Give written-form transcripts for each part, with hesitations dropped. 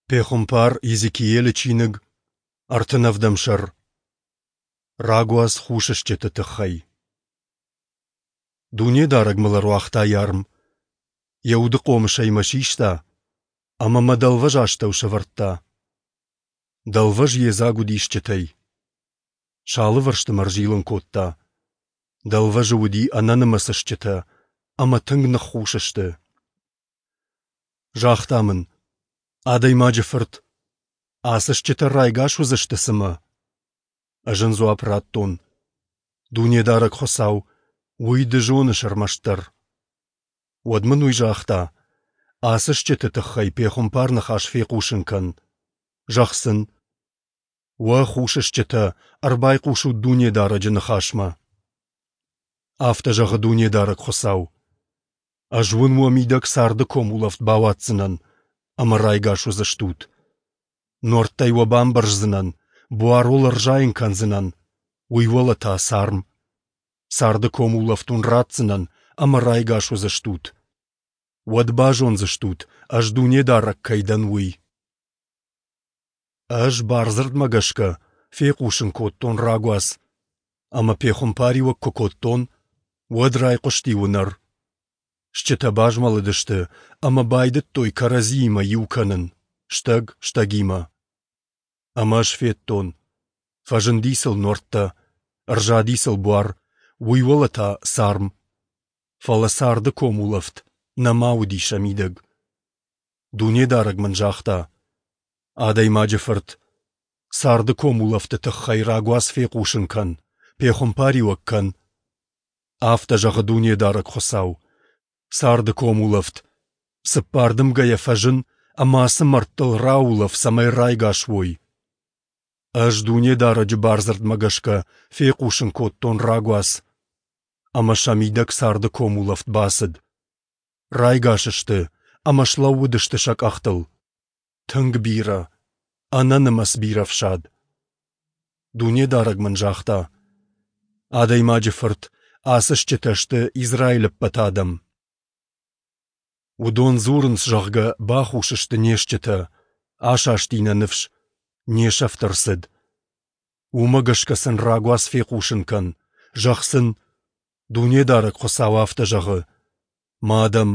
Пехуымпар Йезекиелы чиныг, 37 сӕр. Рагуац хус стджыты тыххӕй. Дунедарӕг мыл ӕруагъта Йӕ арм, Йӕ уды хъомысӕй мӕ систа ӕмӕ мӕ дӕлвӕз астӕу сӕвӕрдта. Дӕлвӕз йедзаг уыди стджытӕй. Сӕ алывӕрсты мӕ ӕрзилын кодта. Дӕлвӕзы уыди ӕнӕнымӕц стджытӕ ӕмӕ тынг ныххус сты. Загъта мын: «Адӕймаджы фырт, ацы стджытӕ райгас уыдзысты цымӕ?» Ӕз ын дзуапп радтон: «Дунедарӕг Хуыцау, уый ды зоныс ӕрмӕстдӕр». Уӕд мын уый загъта: «Ацы стджыты тыххӕй пехуымпар ныхас фехъусын кӕн. Зӕгъ сын: Уӕ хус стджытӕ, ӕрбайхъусут Дунедарӕджы ныхасмӕ. Афтӕ зӕгъы Дунедарӕг Хуыцау: Ӕз уын уӕ мидӕг царды комулӕфт бауадздзынӕн, ӕмӕ райгас уыдзыстут. Нуӕрттӕй уӕ бамбӕрздзынӕн, буар уыл ӕрзайын кӕндзынӕн, уый уӕлӕ та царм. Царды комулӕфт уын ратдзынӕн, ӕмӕ райгас уыдзыстут. Уӕд базондзыстут, ӕз Дунедарӕг кӕй дӕн, уый. Ӕз бардзырдмӕ гӕсгӕ фехъусын кодтон рагуац, ӕмӕ пехуымпариуӕг куы кодтон, уӕд райхъуысти уынӕр. Стджытӕ базмӕлыдысты ӕмӕ байдыдтой кӕрӕдзиимӕ иу кӕнын, стӕг стӕгимӕ. Ӕмӕ ӕз федтон, фӕзынди сыл нуӕрттӕ, ӕрзади сыл буар, уый уӕлӕ та царм. Фӕлӕ царды комулӕфт нӕма уыди сӕ мидӕг. Дунедарӕг мын загъта: Адӕймаджы фырт, царды комулӕфты тыххӕй рагуац фехъусын кӕн, пехуымпариуӕг кӕн. Афтӕ зӕгъы Дунедарӕг Хуыцау: Царды комулӕфт, цыппар дымгӕйӕ фӕзын ӕмӕ ацы мӕрдтыл раулӕф, цӕмӕй райгас уой. Ӕз Дунедарӕджы бардзырдмӕ гӕсгӕ фехъусын кодтон рагуац, ӕмӕ сӕ мидӕг царды комулӕфт бацыд. Райгас сты ӕмӕ слӕууыдысты сӕ къӕхтыл. Тынг бирӕ, ӕнӕнымӕц бирӕ фсад. Дунедарӕг мын загъта: Адӕймаджы фырт, ацы стджытӕ сты Израилы ӕппӕт адӕм. Уыдон дзурынц, зӕгъгӕ, бахус сты не стджытӕ, асасти нӕ ныфс, не сӕфт ӕрцыд. Уымӕ гӕсгӕ сын рагуац фехъусын кӕн, зӕгъ сын, Дунедарӕг Хуыцау афтӕ зӕгъы: Мӕ адӕм,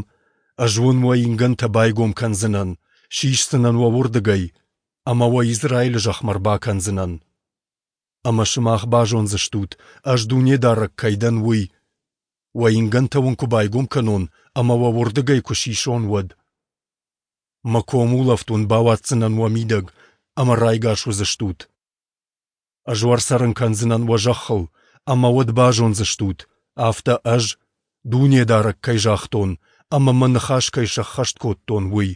ӕз уын уӕ ингӕнтӕ байгом кӕндзынӕн, сисдзынӕн уӕ уырдыгӕй ӕмӕ уӕ Израилы зӕхмӕ ӕрбакӕндзынӕн. Ӕмӕ сымах базондзыстут, ӕз Дунедарӕг кӕй дӕн, уый, уӕ ингӕнтӕ уын куы байгом кӕнон ӕмӕ уӕ уырдыгӕй куы сисон, уӕд. Мӕ комулӕфт уын бауадздзынӕн уӕ мидӕг, ӕмӕ райгас уыдзыстут. Ӕз уӕ ӕрцӕрын кӕндзынӕн уӕ зӕххыл, ӕмӕ уӕд базондзыстут, афтӕ Ӕз, Дунедарӕг, кӕй загътон ӕмӕ мӕ ныхас кӕй сӕххӕст кодтон, уый,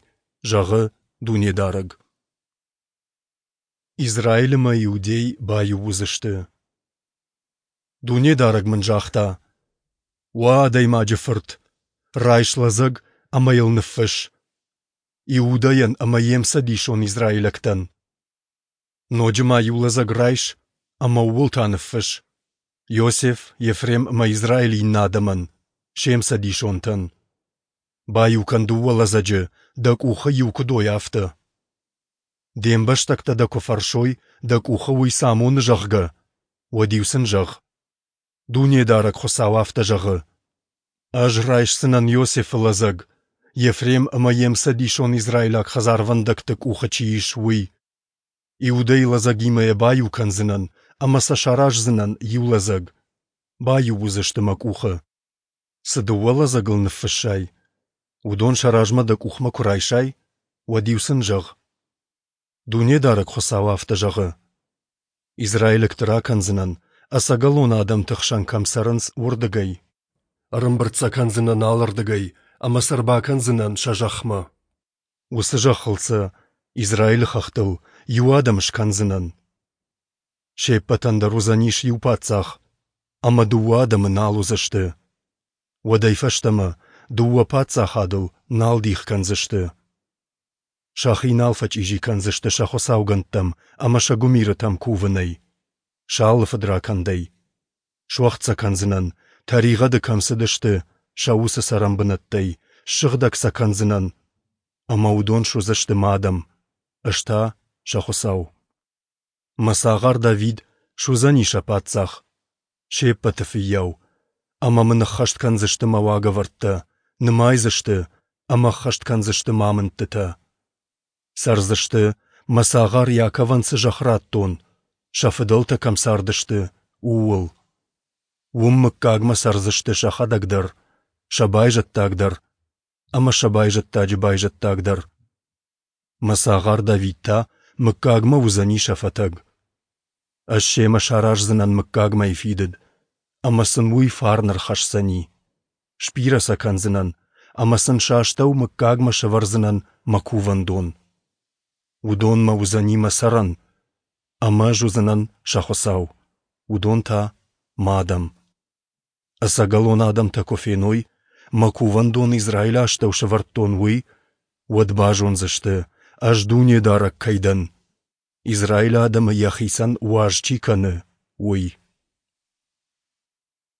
зӕгъы Дунедарӕг. Израиль ӕмӕ Иудей баиу уыдзысты. Дунедарӕг мын загъта: Уӕ адӕймаджы фырт, райс лӕдзӕг ӕмӕ йыл ныффысс: Иудӕйӕн ӕмӕ йе мцӕдисон израилӕгтӕн. Ноджы ма иу лӕдзӕг райс ӕмӕ ууыл та ныффысс: Иосиф, Ефрем ӕмӕ Израилы иннӕ адӕмӕн, се мцӕдисонтӕн. Баиу кӕн дыууӕ лӕдзӕджы, дӕ къухы иу куыд уой, афтӕ. Де мбӕстӕгтӕ дӕ куы фӕрсой, дӕ къухы уый цы амоны, зӕгъгӕ, уӕд-иу сын зӕгъ: Дунедарӕг Хуыцау афтӕ зӕгъы: Ӕз райсдзынӕн Иосифы лӕдзӕг, Ефрем ӕмӕ йе мцӕдисон израилаг хӕдзарвӕндӕгты къухы чи ис, уый. Иудӕйы лӕдзӕгимӕ йӕ баиу кӕндзынӕн ӕмӕ сӕ сараздзынӕн иу лӕдзӕг. Баиу уыдзысты мӕ къухы. Цы дыууӕ лӕдзӕгыл ныффыссай, уыдон сӕ размӕ дӕ къухмӕ куы райсай, уӕд-иу сын зӕгъ: Дунедарӕг Хуыцау афтӕ зӕгъы: Израилӕгты ракӕндзынӕн, ӕцӕгӕлон адӕмты хсӕн кӕм цӕрынц, уырдыгӕй. Ӕрӕмбырд сӕ кӕндзынӕн алырдыгӕй ӕмӕ сӕ ӕрбакӕндзынӕн сӕ зӕхмӕ. Уыцы зӕххыл сӕ, Израилы хӕхтыл, иу адӕм скӕндзынӕн. Се ппӕтӕн дӕр уыдзӕнис иу паддзах, ӕмӕ дыууӕ адӕмы нал уыдзысты. Уӕдӕй фӕстӕмӕ дыууӕ паддзахадыл нал дих кӕндзысты. Сӕхи нал фӕчъизи кӕндзысты сӕ хуыцаугӕндтӕм ӕмӕ сӕ гуымирытӕм кувынӕй, сӕ алы фыдракӕндӕй. Суӕгъд сӕ кӕндзынӕн, тӕригъӕды кӕм цыдысты, сӕ уыцы цӕрӕнбынӕттӕй, ссыгъдӕг сӕ кӕндзынӕн, ӕмӕ уыдон суыдзысты мӕ адӕм, Ӕз та сӕ Хуыцау. Мӕ цагъар Давид суыдзӕни сӕ паддзах, се ппӕты фыййау, ӕмӕ мын ӕххӕст кӕндзысты мӕ уагӕвӕрдтӕ, нымайдзысты ӕмӕ ӕххӕст кӕндзысты мӕ амындтытӕ. Цӕрдзысты, мӕ цагъар Иаковӕн цы зӕхх радтон, сӕ фыдӕлтӕ кӕм цардысты, ууыл. Уым мыггагмӕ цӕрдзысты сӕхӕдӕг дӕр, сӕ байзӕддаг дӕр ӕмӕ сӕ байзӕддаджы байзӕддаг дӕр. Мӕ цагъар Давид та мыггагмӕ уыдзӕни сӕ фӕтӕг. Ӕз семӕ сараздзынӕн мыггагмӕйы фидыд, ӕмӕ сын уый фарн ӕрхӕсдзӕни. Сбирӕ сӕ кӕндзынӕн, ӕмӕ сын сӕ астӕу мыггагмӕ сӕвӕрдзынӕн мӕ кувӕндон. Уыдонмӕ уыдзӕни мӕ цӕрӕн, ӕмӕ ӕз уыдзынӕн сӕ Хуыцау, уыдон та мӕ адӕм. Ӕцӕгӕлон адӕмтӕ куы феной, мӕ кувӕндон Израилы астӕу сӕвӕрдтон, уый, уӕд базондзысты, ӕз Дунедарӕг кӕй дӕн, Израилы адӕмы йӕхицӕн уаз чи кӕны, уый.